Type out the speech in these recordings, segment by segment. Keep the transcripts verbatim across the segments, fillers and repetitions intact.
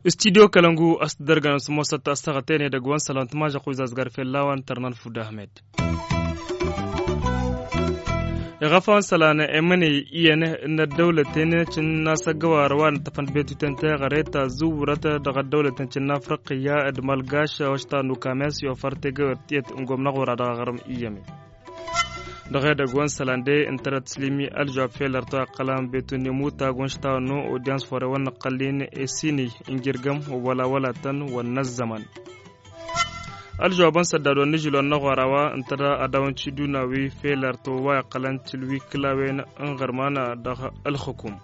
Studyo kălăngu a-s t-dărgăn s-mosăt a-s tăɣăten edăgg wa n-sălăn tmažăqq wi zazgar fell-a-wa n-tărnan fud ahmed. Iɣăf a-wa n-sălan emăney iyyăn n-ăddăwlăten cǝnna s-ăggăwar wa n-ǝṭṭăfăn betuten teɣăre ta zǝwwurăt dăɣ-ăddăwlăten cǝnna afriqiyya d-mălgaš wa s-tannu kames i-ofăr tegăwert tiyyăt n-gomna ɣur-a dăɣ-aɣrǝm iyyăme. Dăɣ-edăgg wa n-sălan de ǝntărăt slimi ălžawab fel ărtăw iqqălan betun n-imutag wa n-s tannu odyans fore wa n-năqqăllin esini n-jirgăm wăla wăla tăn wa n-năzzăman. Ălžăwabăn săddad wa n-nǝžǝl wa n-năɣwara wa ǝnta da ad-dawăn-t-ši duna wi fel ărtăw wa iqqălăn tǝlwi kǝlawen n-iɣărman dăɣ-ălxǝkum.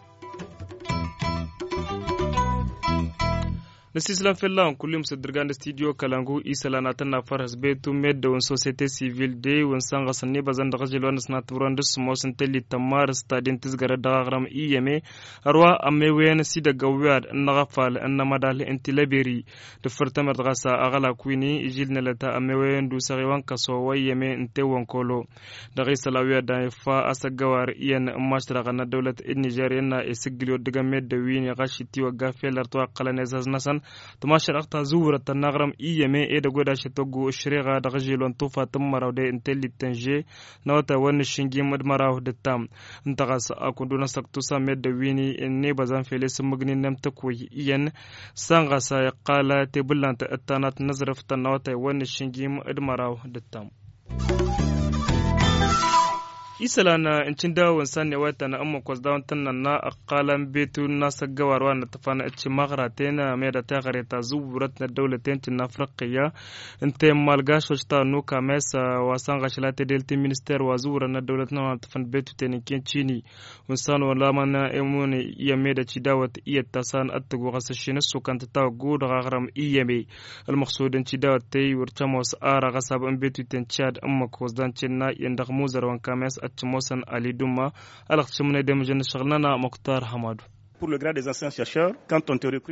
Năsislăm fell-a-wen kullum s-dd-irgan d-studyo kălangu isălan ad-tăn-nafăr hăsbetu meddăw n-sosyete sivil de wi n-sănɣăsăn n-ibăzăn dăɣ-ažil wa n-ăsnat tǝbrăn d-sǝmmos n-tellit tămmarǝst ta den tǝzgărăt dăɣ-aɣrăm iyyăme. Ărwa ămmewăyăn s-idăgg ăwwiad n-inăɣăfal n-inămădal n-tilăberi. Dăffăr tămert ɣas aɣălak wi-ni ižil n-elăt ămmewăyăn d-usăɣ iwăn kăso wa iyyăme n-tewwăn kolo. Dăɣ-isălan wi ad-dăɣ-nef a-s ăggăwar iyyăn n-mašrăɣăn n-ăddăwlăt n-nižer innă isǝggǝl i-oddǝgăn meddǝn wi-ni ɣas itiwăgga fel ărtăw a ǝqqălăn ezăz-năsăn. Tămašrăɣt ta zǝwwurăt tănnaɣrăm iyyăme edăgg wed-ašăt oggu ǝššăreɣa dăɣ-ažil wa n-tufa tǝmmăraw de n-tellit tănže n-awătay wa n-nǝššǝnjim d-măraw d-ǝttam. Ǝnta ɣas a kundu n-asăktusa meddǝn wi-ni n-ibăzăn fel isǝmmǝgnin n-emtăkwăy iyyăn. Săn ɣas a iqqal tebǝllant d-tanat n-aẓrǝf tănnawătay wa n-nǝššǝnjim d-măraw d-ǝttam. Isălan n-cǝndawăn săn i-wa itănna ǝmmǝk wa s-dawăn tăn-nănna ăqqalăn betu n-asăggăwar wa n-ăṭṭăfăn d-timăɣraten meda teɣăre ta zǝwwurăt n-ăddăwlăten ti n-afriqiyya. Ǝnta i-malgaš wa s-tannu kames wa săn ɣašla tedelt n-minister wa zǝwwurăn n-ăddăwlăt n-wa n-ăṭṭăfăn d-betuten n-ken cini. Wǝnsan wăla mănna emunǝy iyyăn meda cidawăt iyyăt ta san ăttăggu ɣas ăššin ăssukăn tǝtawăggu dăɣ-aɣrăm iyyăme. Ălmăxsud n-cidawăt tey wăr cămos ara ɣas abăn betuten cad ǝmmǝk wăzdan cenna iyyăn dăɣ-muzărwăn kames ăccămosăn ali dumma. Ălɣăt šămnăy demǝžăn n-ǝššăɣǝl-nănăɣ muktar hămadu.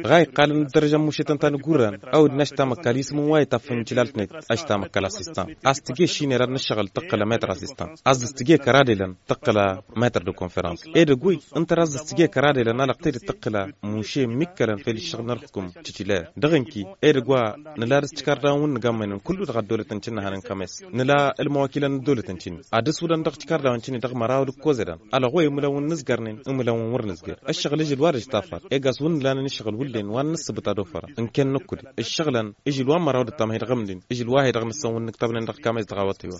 Ɣa iqqalăn d-dărăžăn mušetăn ta n-igurran. Awǝd n-aštam ăkall isǝm n-wa itaffăn n-tilalt-net aštam ăkall asistan. A-s tǝje šinera n-ǝššăɣǝl tǝqqǝl ămetr asistan. A-s dăɣ-s tǝje kăradelăn tǝqqǝl ămetr d-konferans. Edăgg-wi ǝnta a-s dăɣ-s tǝje kăradelăn alăɣ tedăt tǝqqǝl muše n-mikkălăn fel ǝššăɣǝl n-ărhǝkum titiler dăɣ-inki. Edăgg wa nǝla dăɣ-s tikardawen wǝnnǝg ammănen kullu dăɣ-ăddolăt n-tinǝhănen kames nǝla ălmăwakilăn n-ăddolăt n-tini ad-ǝswǝlăn dăɣ-tikardawen tini dăɣ-măraw d-ǝkkozădan. Alăɣ wa imǝlăn wǝnnǝzgărnen imǝlăn wǝnnǝzgăr ǝššăɣǝl ǝžǝl wa dăɣ-s tafăr. Eggas wǝnnǝlanen ǝššăɣǝl wǝllen wa n-nǝssǝbǝt ad-ofărăn n-ken nǝkkǝd ǝššăɣǝlăn ǝžǝl wa n-măraw d-ăttam hedăɣ ǝmdin ǝžǝl wa hedăɣ nǝssăn wǝnnǝg tăbnen dăɣ-kames dăɣ-awătay-wa.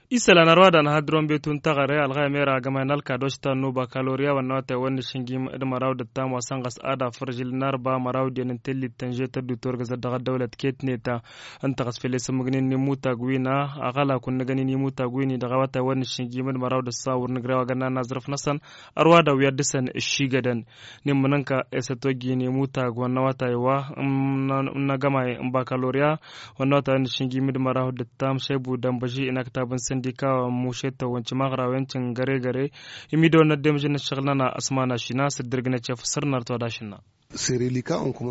Isălan ărwa danăha d-rom betun taɣăre alɣayăm era agămay n-alkadoš ta n-nuba kaloriya wănnăwătay wănnăšǝnjim d-măraw d-ǝttam wa săn ɣas ad-afăr žil n-arba măraw d-iyyăn n-tellit tănže tăddu turgăzăt dăɣ-ăddăwlăt ketnet. Ǝnta ɣas fel isǝmmǝgnen n-imutag wi n-aɣălak wǝnnăgăn-in imutag wi-ni dăɣ-awătay wănnăšǝnjim d-măraw d-ǝssa wăr nǝjrew agănna n-aẓrǝf-năsăn. Ărwa dăɣ-wi ad-dăr-săn ǝššigădăn n-immǝnǝnka esăt ojjin imutag wănnăwătay wa n-agămay n-bakaloriya wănnăwătay wănnăšǝnjim d-măraw d-ǝttam šăybu dănbăži inăktab n-săndika wa n-mušetăwăn timăɣrawen tǝngăregăre. Imidăwăn n-ăddemžăn n-ǝššăɣǝl-nănăɣ ăsman ašina s-dd-irgǝnăt i-afǝssăr n-arăt wa d-ašǝnna.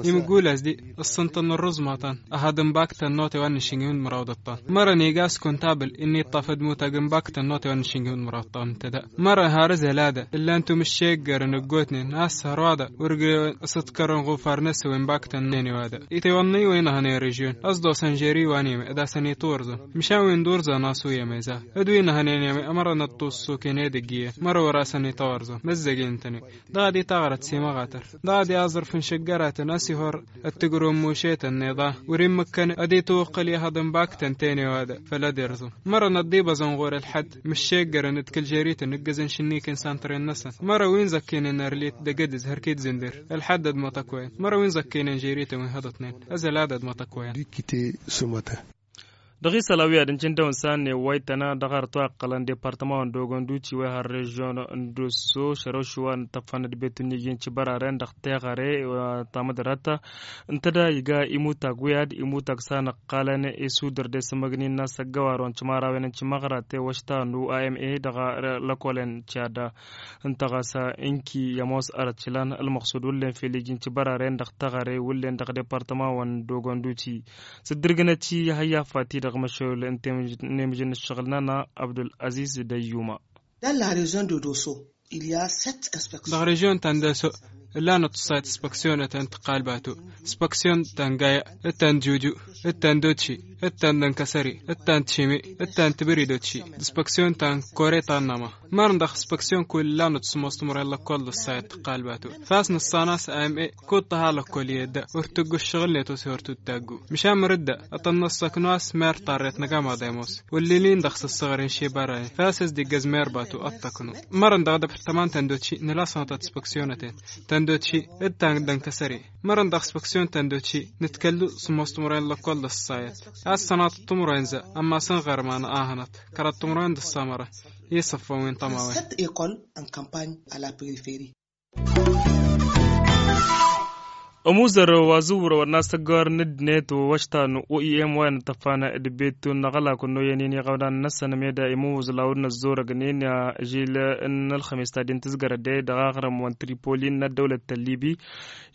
Imǝggul a-s di ǝssǝnṭăn n-ărrǝẓ maḍan. Ad-ănbaktăn n-otay wa n-nǝššǝnjim d-măraw d-ăṭṭan mărăn iga a-s kuntabil ǝnni iṭṭafăd mutag ănbaktăn n-otay wa n-nǝššǝnjim d-măraw d-ăṭṭan ǝnta da. Mărăn har ǝzăl ad-ǝllan tumǝššeggărăn ǝggootnen a-s hărwa da wăr gre-ăsǝḍkărăn ɣufar n-ăswăy ănbaktăn n-ene wa da. Itewănni wa inăhănen režyon ăsḍosăn žeri wa n-eme d-asăn itwărzăn măšan wi n-durzăn a-s u-yeme za d-wi inăhănen eme ămărăn ăṭṭus s-oken edăgg iyyăn mărăn wăr-asăn itwărzăn măzzăgen-tăn-e. Dăɣ-ad-i taɣrăt s-imăɣatăr dăɣ-ad-i aẓrǝf n-išǝggăratăn a-s ihor ăttǝgrǝw n-mušetăn n-iḍa wăr-immǝkkăn ad-itwǝqqǝl i-hăḍ n-baktăn tene wa da făll-ad-irzǝm. Mărăn ăḍḍibăẓăn ɣur-ălḥădd măššeggărăn d-kăl-žerităn ǝggăzăn šǝnniken santren-năsăn mărăn wi n-zăkkăynen ărlit d-egădǝz hărk-i d-zǝnder ălḥădd ad-măṭăkk wa-en mărăn wi n-zăkkăynen žerităn wi n-hăḍătnen. Ăzălad ad-măṭăkk wa-en. Dăɣ-isălan wi ad-ǝncǝn dăw-nǝssan n-ewwaytăn dăɣ-arăt wa iqqălăn departăma wa n-dogon duti wa iha n-režion n-dosso šărăw šuwa n-tăffăn d-betu n-iji n-cibăraren dăɣ-teɣăre wa tamădrat. Ǝnta da iga imutag wi ad-imutag s-a nǝqqalăn isudăr d-esǝmmăgnin n-asăggăwar wa n-cimărawen n-cimăɣrate wa štanu a m a dăɣ-lăkolăn. Cad ǝnta ɣas ǝnki i-ămoos arăt šlan ălmăqsud wǝllen fel iji n-cibăraren dăɣ-teɣăre wǝllen dăɣ-departăma wa n-dogon duti. S-ǝddǝrgǝnăt-i ihăyyafat-i dăɣ-măšăl n-temǝjǝn n-ǝššăɣǝl-nănăɣ abdul-aziz d-ăyyuma. Dăɣ-režion ta n-doso ǝllanăt ǝṣṣayăt ispaksiyonăten tǝqqal batu ispaksiyon ta n-gaya d-ta n-juju d-ta n-dotši d-ta n-dănkăsări d-ta n-tšimi d-ta n-tibridotši d-ispaksiyon ta n-kore ta n-nama. Mărăn dăɣ-ispaksiyon kull ǝllanăt s-ămoos timǝrwen lăkkol d-ǝṣṣayăt tǝqqal batu fas nǝssan a-s a m a kud-tăha lăkkol i-edda wăr tǝggu ǝššăɣǝl-net oshe wăr tud-taggu. Măšan măr-dd ad-tăn-năssăknu a-s mer tarret n-agamaḍ i-ămoos wăllin-in dăɣ-s ăssăɣăr n-šibărănen fas a-s dd-iggăz mer batu ad-tăknu. Mărăn dăɣ-depărtăman ta n-dotši nǝla sănătăt ispaksiyonăten ta n-dotši d-ta n-dănkăsări. Mărăn dăɣ-ispaksiyon ta n-dotši nǝtkăllu s-ămoos timǝrwen lăkkol d-ăṣṣayăt a-s sănatăt timǝrwen za ămmas n-iɣărman ahănăt kăraḍ timǝrwen d-ăṣṣamărăn i-isăffăn wi n-tămawen. Ămuzăr wa zǝwwărăwăn n-asăggăwar n-ǝddinăt wa ăštan n-oem wa inǝttăfan d-betun n-aɣălak n-oyăn-in iɣăwnan-năsăn meda imǝwwǝẓlaw n-ăzzorăgnen žil n-ălxămes ta din tǝzgărăt de dăɣ-aɣrǝm wa n-tripoli n-ăddăwlăt n-libi.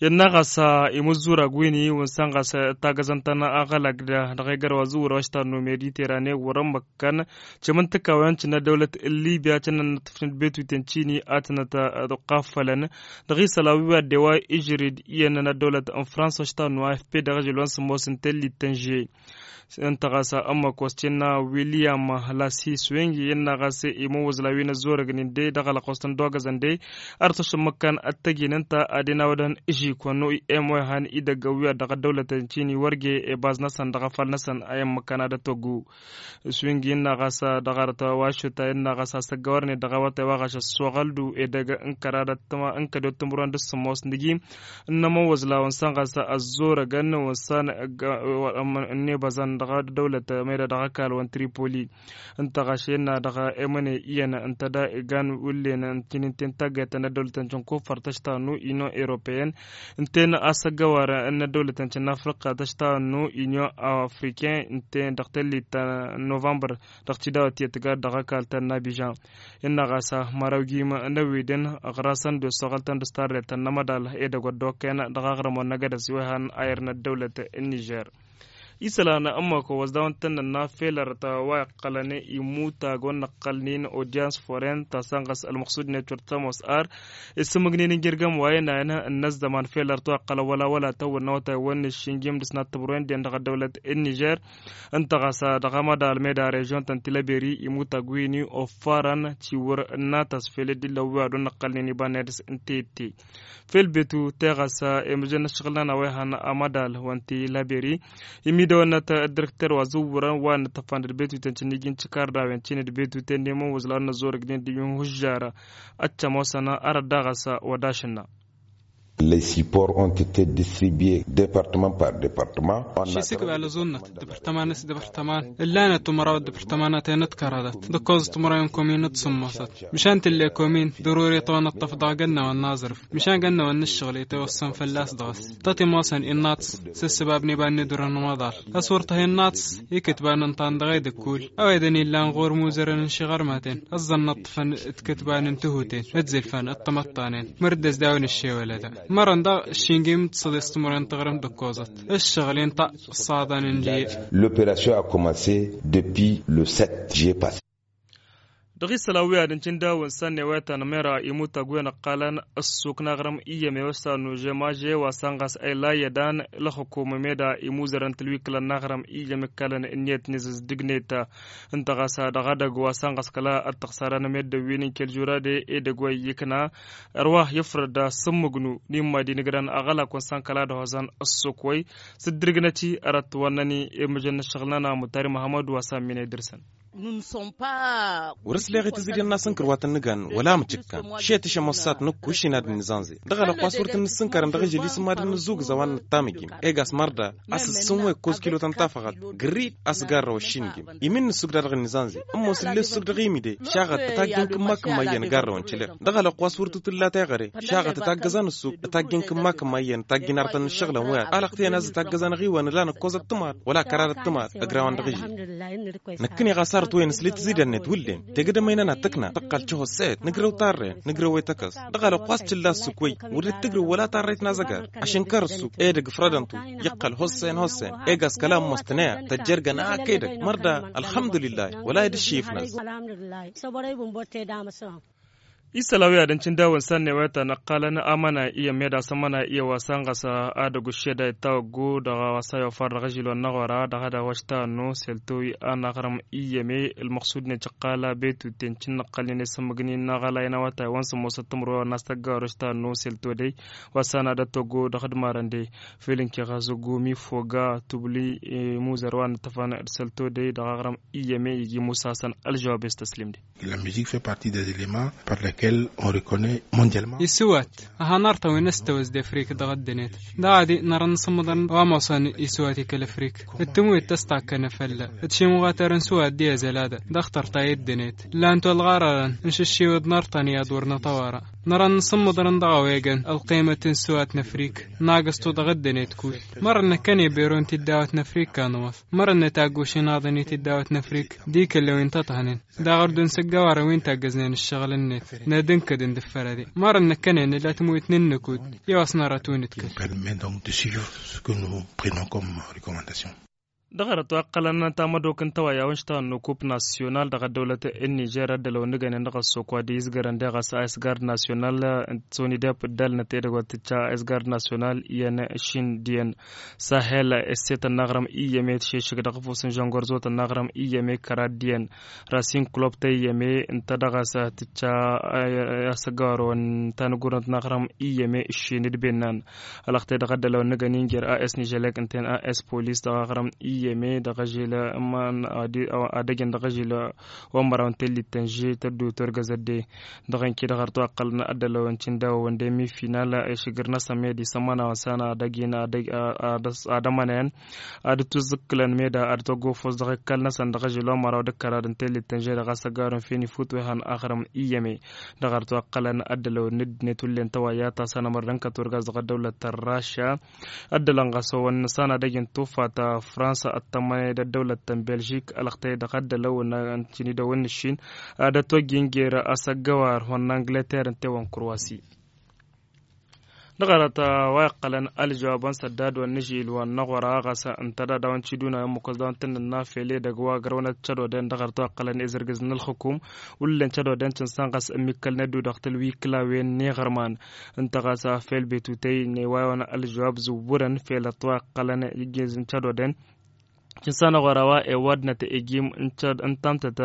Innă ɣas imǝzzurag win-i wa n-săn ɣas tagăzăn-tăn aɣălak da dăɣ-egăr wa zǝwwărăw ăštan n-omediterane wăr-ămmăk kăn cimǝntǝka wa n-cǝnna dăwlăt n-libya cǝnnăn n-ăṭṭăfnăt betuten cini ad-tǝnăt-ăqqafălăn. Dăɣ-isălan wi wa dd-ewa ižrid iyyăn n-ăddăwlăt n-fransa ăštan n-afp dăɣ-ažil wa n-sǝmmos n-tellit tănže. Ǝnta ɣas ămmăk wa s-cǝnna wiliyam lasi swing innă ɣas imǝwwǝẓla wi n-ăzzorăgnen de dăɣ-alăqqos tăn-dd-ogăzăn de. Ar tăšămmăkkan ăttăjin ǝnta ad-inawădăn ižikon n-oem wa ihan idăgg ăwwiya dăɣ-ăddăwlătăn cini wăr ge ebaz-năsăn dăɣ-afăl-năsăn a immăkkan ad-ătoggu. Swing innă ɣas dăɣ-arăt wa aššuta innă ɣas asăggăwărnen dăɣ-awătay wa ɣaš ăssoɣăldu edăgg n-kăraḍăt n-kădot timǝrwen d-sǝmmos n-iji n-ămăwwăẓla wa n-săn ɣas ăzzorăgăn wa n-săn ănnebăẓăn dăɣ-dăwlăt meda dăɣ-ăkall wa n-tripoli. Ǝnta ɣaš innă dăɣ-emăne iyyăn ǝnta da igan wǝllen n-tinin ten taggayt ta n-ăddăwlăt n-cǝnkufăr tăštanu inion europeen ǝnten asăggăwar n-ăddăwlăt n-cǝnnafrǝqqa tăštanu inion afriken ǝnten dăɣ-tellit ta n-novămbăr dăɣ-tidawăt i-tǝgad dăɣ-ăkall ta n-abižan. Innă ɣas măraw jim n-ăwwidăn ăɣrasăn d-ossoɣăl-tăn d-s tarret ta n-amădal edăgg wa dd-okăyăn dăɣ-aɣrǝm wa n-agădăs wa ihan ayăr n-ăddăwlăt n-nižer. Isălan ămmăko wa s-dawăn-tăn-nănna fel ărăt wa iqqălăn imutag wa n-iqqălnen odyans foren ta săn ɣas ălmăqsud-net wăr t-ămoos ar isǝmmǝgnen n-jirgăm wa inayăn n-ăzzăman fel ărăt wa iqqălăn wăla wăla tăwwăl n-awătay wa n-iššǝnjim d-ǝsnat tǝbrǝwen-den dăɣ-ăddăwlăt n-nižer. Ǝnta ɣas dăɣ-amădal meda režion ta n-tilăberi imutag wi-ni offarăn tiwǝr n-atăs fel dd-illăw wi ad-wăr nǝqqălnen iba n-edăs n-tette. Fel betu teɣăs emǝjăn n-ǝššăɣǝl-nănăɣ wa ihan amădal wa n-tilăberi imidăwăn n-ăddărkter wa zǝwwărăn wa n-ăttăfan d-betuten cǝnnij n-tikardawen cine d-betuten n-emăwwăẓ la n-ăzzorăgnen d-iyyun hužžară. Ăccămosăn arăt daɣăs wăd-ašǝnna. Les supports ont été distribués département par département. Šisǝkbal ăẓunnăt dăpărtăman s-dăpărtăman ǝllanăt umăraw dăpărtămanăten d-kăraḍăt d-ǝkkoẓăt umăraw n-komin d-sǝmmosăt. Măšan tǝlle komin dăr-wăr-itwănăṭṭăf dăɣ-gănnăwăn n-aẓrǝf măšan gănnăwăn n-ǝššăɣǝl itwăssăn fălla-s dăɣ-s tăt-imosăn innaḍs s-ǝssǝbab n-iba n-idurăn n-umaḍal. A-s wăr tăha innaḍs ikǝtban ǝnṭan dăɣ-edăkul a-wa edăn illan ɣur-imuzărăn n-išiɣărmaten ăẓẓăn nǝṭṭăfăn d-ikǝtban n-tihuten d-zilfan d-tamăṭṭanen. Măr-dd-ăzdawen ǝššewălădăn mărăn daɣ ǝššingim d-săḍis timǝrwen n-taɣrǝmt d-ǝkkoẓăt ǝššăɣǝl inṭa ǝṣṣaḍăn n-liyăt. L'opération a commencé depuis le sept juillet passé. Dăɣ-isălan wi ad-ǝncǝn dawăn săn ewetăn mera imutag wi n-ăqqalăn ăssuk n-aɣrǝm iyyăm ewăssan n-ožemaže wa săn ɣas ăyla iyyădan. Ǝlxǝkum meda imuzărăn tǝlwiklăn n-aɣrǝm iyyăm ǝkkalăn ǝnniyăt n-izǝzdǝgnet. Ǝnta ɣas dăɣ-edăgg wa săn ɣas kăla ăttăɣsarăn meddǝn wi n-inkăl žurade edăgg wa iyyǝkna. Ărwa ifrăd asǝmmǝgnu n-imma d-inǝgrăn aɣălak wa n-săn kăla ad-ăhoẓăn ăssuk wăy s-dd-irǝgnăt-i ărăt wa n-năni. Imǝjăn n-ǝššăɣǝl-nănăɣ mutari muhămmăd wa s-amminăy dăr-săn. Wăr-ăsleɣ i-tǝzǝdyan n-asǝnkăr wa tăn-nǝgan wăla mǝcǝkkan. Šetǝšăm ăssat nǝkku ǝššin ad-dd-nǝzanze dăɣ-alăqq wa s-wăr tăn-nǝssǝnkărăn dăɣ-ižăl isǝmmadăn n-ǝzzug ǝzăwan n-ăttamǝjim. Egas mărda a-s ǝssǝnwăy ǝkkoẓ kilo ta n-tafăɣat gǝrrid a-s garrăw ăššinǝjim. Imin n-ǝssuk-da-dăɣ ǝnnizanze ǝmmos ǝlle ǝssuk dăɣ-imide šaɣăt ătaggen kǝmma-kǝmma iyyăn garrăwăn cǝleɣ. Dăɣ-alăqq wa s-wăr tǝtǝlla teɣăre šaɣăt ătaggăzăn ǝssuk ătaggen kǝmma-kǝmma iyyăn ătaggen artăn n-ǝššăɣǝlăn wi-ad-alăqtăyăn a-s ătaggăzăn ɣiwăn ǝlan ǝkkoẓăt tǝmad wăla kăradăt tǝmad. Ăgrawăn dăɣ-ižăl năkkăneɣ a-s arăt-wăyăn s-li tǝzidăn-net wǝllen tegădăm ăynănat tǝkna tăqqal tihosset nǝgrăw tarren nǝgrăw i-tăkăs. Dăɣ-alăqq wa s-tǝlla ǝssuk wăy wăr dd-tǝgrǝw wăla tarrăyt n-azăgar. Ašǝnkăr ǝssuk edăgg fărădăn-tu iqqăl hossen hossen. Egas kăla ămmoos tǝnăya tăjjergăn ak edăgg mărda. Ălxămdulillah wăla ed ǝššǝyǝfnăs. Isălan wi ad-ǝncǝn dawăn sannewetăn ăqqalăn amăna iyyăm ed asămăna iyyăm wa s-ănɣăs ad-ăgg uššeda ittawăggu dăɣ-a-wa s-ayofar dăɣ-ažil wa n-năɣora dăɣ-ad-awăš tannu selto wi anaɣrăm iyyăm e ălmăqsud-net ǝqqal abetuten cǝnnăqqălnen i-sǝmmǝgnin n-aɣălay n-awătay wa n-sǝmmosăt timǝrwen wa n-astăgga orăš tannu selto dey. Wa s-anadăt toggo dăɣ-ădmarăn dey făl-ǝnkeɣ azǝggu mi foga tubli imuzăr wa n-ǝttăfăn d-selto dey dăɣ-aɣrăm iyyăm e iji musasăn ălžăwab i-s tăslim-de. La musique fait partie des éléments par lesquels on reconnaît mondialement. Isǝwat a hanăr-tăn wi n-ăstăwăz d-afrik dăɣ-ăddănet. Dăɣ-ad-i nărăn n-sǝmmăḍăn wa ămoosăn isǝwat i-kăl-afrik d-tǝmwit tăstakkănă fălla d-šimɣatărăn sǝwat d-i-azăl ad-dăɣ-tărta i-ăddănet. Lan tolɣarărăn n-išǝššiwăḍ n-artăn i-ad-wăr nătawăra nărăn n-sǝmmăḍăn dăɣ-a-wa egăn ălqimăt n-sǝwat n-afrik. Nagăstu dăɣ-ăddănet kull mărăn năkkăne beron tiddawăt n-afrik kanăwăf mărăn nătaggušin aḍăn i-tiddawăt n-afrik d-ikăllewen tăṭhănen. Daɣ ărdun s-ăggăwarăn wi n-taggăznen ǝššăɣǝl-net n-ad-ǝnkădăn d-ǝffărăde mărăn năkkănen ǝla tǝmwit n-ǝnnǝkud. I-wa s-nărăt wi n-ǝtkăl. Permet donc de suivre ce que nous prenons comme recommandation. Dăɣ-arăt wa ǝqqălăn tamădok n-tawăyya wa n-ǝštăɣăn n-okup nasyonal dăɣ-ăddăwlăt n-nižer ăddălăw n-ǝgănen dăɣ-ăssok wa dd-izgărăn deɣ a-s a s-gard nasyonal. Sonidep dd-alnăt edăgg wa t-tǝcca a s-gard nasyonal iyyăn šin d-iyyăn sahel s-e tănnaɣrăm iyyăme tǝšešǝk dăɣ-ăfus n-žăngorzo tănnaɣrăm iyyăme kăra d-iyyăn rasin klop ta iyyăme ǝnta dăɣ-a-s tǝcca. Asăgawărăwăn ta n-ăgurnăt n-aɣrăm iyyăme ǝššin d-bennan. Alăɣtăy dăɣ-ăddălăwăn n-agăni n-jer a s nižălek ǝnta-en a s polis dăɣ-aɣrăm iyyăme dăɣ-ažil adăgg-en dăɣ-ažil wa n-măraw n-tellit tănže tăddu turgăzăt de. Dăɣ-inki dăɣ-arăt wa ǝqqălăn ăddălăwăn cindawăwăn de mi final išǝgr n-asămmed isămănawăn s-anadăgg-in ad-ămănăyăn ad-dd-tuzǝkkǝlăn meda ad-tăgofos dăɣ-ikkal-năsăn dăɣ-ažil wa n-măraw d-ǝkkărad n-tellit tănže dăɣ-asăgawărăn feni fut wa ihăn aɣrăm iyyăme. Dăɣ-arăt wa ǝqqălăn ăddălăw n-dd-net wullen tăwayya ta s-anămăr d-ănkăt wăr gaz dăɣ-ăddăwlăt ta n-rašya. Ăddălăn ɣas ăwăn nǝsanadăj n-tufa ta fransa ăttămăne d-ăddăwlăt ta n-belžik ălăɣtăy dăɣ-ăddălăw n-cǝnidăw n-nǝššin ad-ătwăjjin jer-asăggăwar wa n-angleter ǝnta i-wa n-kurwasi. Dăɣ-arăt wa iqqălăn ălžăwab wa n-săddad wa n-ažil wa n-aɣora ɣas ǝnta d-ad-dawăn ciduna i-ămmukăs dawăn tǝnnǝnna fel edăgg wa ăgrăwnăt cădoden dăɣ-arăt wa iqqălăn izărgǝz n-ălxukum. Wullen cădoden cǝnsan ɣas ămmikkălnet-du dăɣ-tălwi kǝlawen n-iɣărman. Ǝnta ɣas fel betutăy n-ewayawăn ălžăwab zǝwwǝrăn fel ăṭṭwa iqqălăn iggez n-cădoden. Cǝnsan aɣora wa ewădnăt egim n-tamtăt.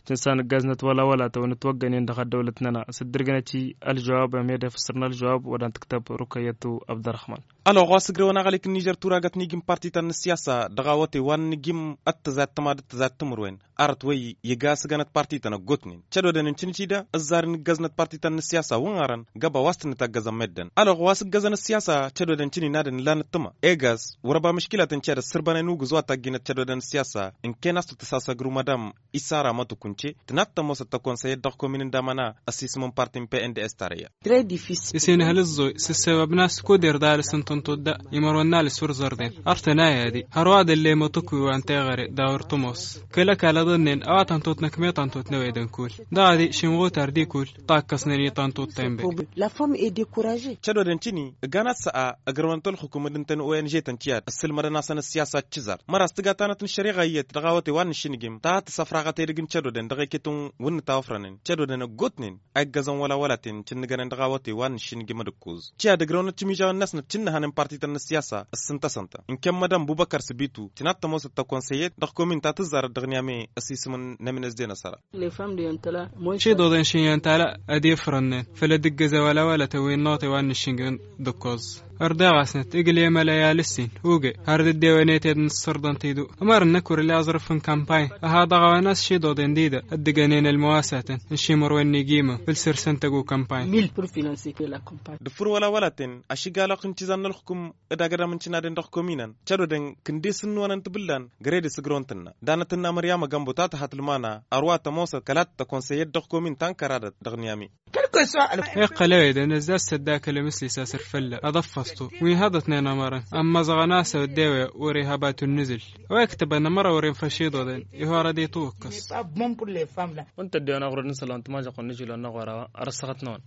Cǝnsan ǝggaznăt wăla wăla tăwăn ǝtwăggănen dăɣ-ăddăwlăt-năna s-dd-ǝrgǝnăt i-ălžăwab ămedef săr n-ălžăwab wădan tǝktăb rukăyătu abdărăxman. Ălɣăɣ wa s-ǝgrăwăn aɣălek n-nižer turagăt n-ijǝm parti-tăn n-ǝssiyasa dăɣ-awătay wa n-nǝjǝm ăttăzat tămad ăttăzat timǝrwen. Arăt wăyy iga a-s ǝgganăt parti-tăn ăggootnen cădodăn n-cǝnǝt-i da ǝzzar n-ǝggăznăt parti-tăn n-ǝssiyasa wǝnɣărăn găba wa s-tǝnnǝtaggăzăn meddǝn. Ălɣăɣ wa s-ǝggăzăn ǝssiyasa cădodăn cǝninadăn ǝllanăt tǝma egas wăr-ăba mǝškǝlatăn ced ăssǝrbănen ugǝz wa tagginăt cădodăn ǝssiyasa. Ǝnken a-s tăt-tăsasăgru madam isara mătukunce tǝnat tămoosăt tăkonsăyăt dăɣ-komin n-damăna ăsisǝm n-parti n-pnds tarăyya. Isinhăl ǝẓẓoy s-ǝssăbăb n-a-s kuder d-alǝs n-tǝnṭut da imărwen n-alǝs wăr zărden. Ărtăn a i-ad-i hărwa d-ăllem ăṭṭǝkwi wa n-teɣăre d-a wăr tămoos kăl-ăkall ăḍănnen a-wa tănṭut n-ăkmeḍ tănṭut n-ewed n-kull. Dăɣ-ad-i šimɣutar d-ikul ṭakkăsnen i-tănṭut tenbăy. Cădodăn cini ǝgganăt s-a ăgrăwnăt ălxukum d-ǝnta n-ong-tăn tiyyad ăssǝlmădăn-asăn ǝssiyasa d-cǝzar măra s-tǝga tanăt n-ăššăriɣa iyyăt dăɣ-awătay wa n-nǝššǝnǝjǝm ta tǝsăfraɣăt edăgg n-cădodăn dăɣ-eket n-wǝnnǝt a ofrănen cădodăn ăggootnen a iggăzăn wăla wăla-ten cǝnnǝgănen dăɣ-awătay wa n-nǝššǝnǝjǝm d-ǝkkuz. Tiyyad ǝgrăwnăt cimijawăn-năsnăt cǝnnăhăn n-partităn n-ǝssiyasa ǝssǝntăsăn-tăn ǝnken madam bubăkăr s-bitu tǝnat tămoosăt tăkonsăyet dăɣ-komin ta tǝzzarăt dăɣ-niyame. Ăsisǝm n-nemǝnez d-enăsăra. Ciḍoḍen šin i-ăntala ad-ifrănnen făll-ad-ǝggǝză wăla wăla tăwwin n-ote wa n-nǝššǝnjǝn d-ǝkkoẓ. Ărdeɣ-asnăt igl'-e măla i-alǝssin uge har d-dd-e-wen i-ted n-ǝssărḍăn tidu. Ămărăn-năk wăr-ila aẓrǝf n-kampay ăha dăɣ-a-wen a-s šiḍoḍen d-idă ăddǝgăn-en ălmăwasatăn n-šimărwen n-igimăm făll-săr-săn tăggu kampay. D-ǝffǝr wăla wăla-ten ašǝgalăɣ n-cizan n-ălxǝkǝm d-agădam n-cǝnadăn dăɣ-kominăn cădodăn kǝndes n-năwăn n-tibǝllan gred isǝgrăwăn tǝnna danăt-tǝnna măryamă gămbo ta tăha tǝlmana ărwa tămoosăt kăla t-tăkonsăyăt dăɣ-komin ta n-kăradăt dăɣ-niyami. Iqqăl ewedăn ăzzaz s-ăddakăl emǝslis a-s ărfălla ad-ăffăẓtu wi haḍătnen ămărăn ămmăẓɣăn a-s ăwăddewe wăr-e haba tunnǝzǝl. Wa iktăbăn ămăra wăr-e n-făšiḍăḍen ihor ad-itwǝkkăs. Wănta ăddewen aɣrăd n-isălan tămažăɣ n-ažilon n-aɣora arăssăɣăt-năwăn.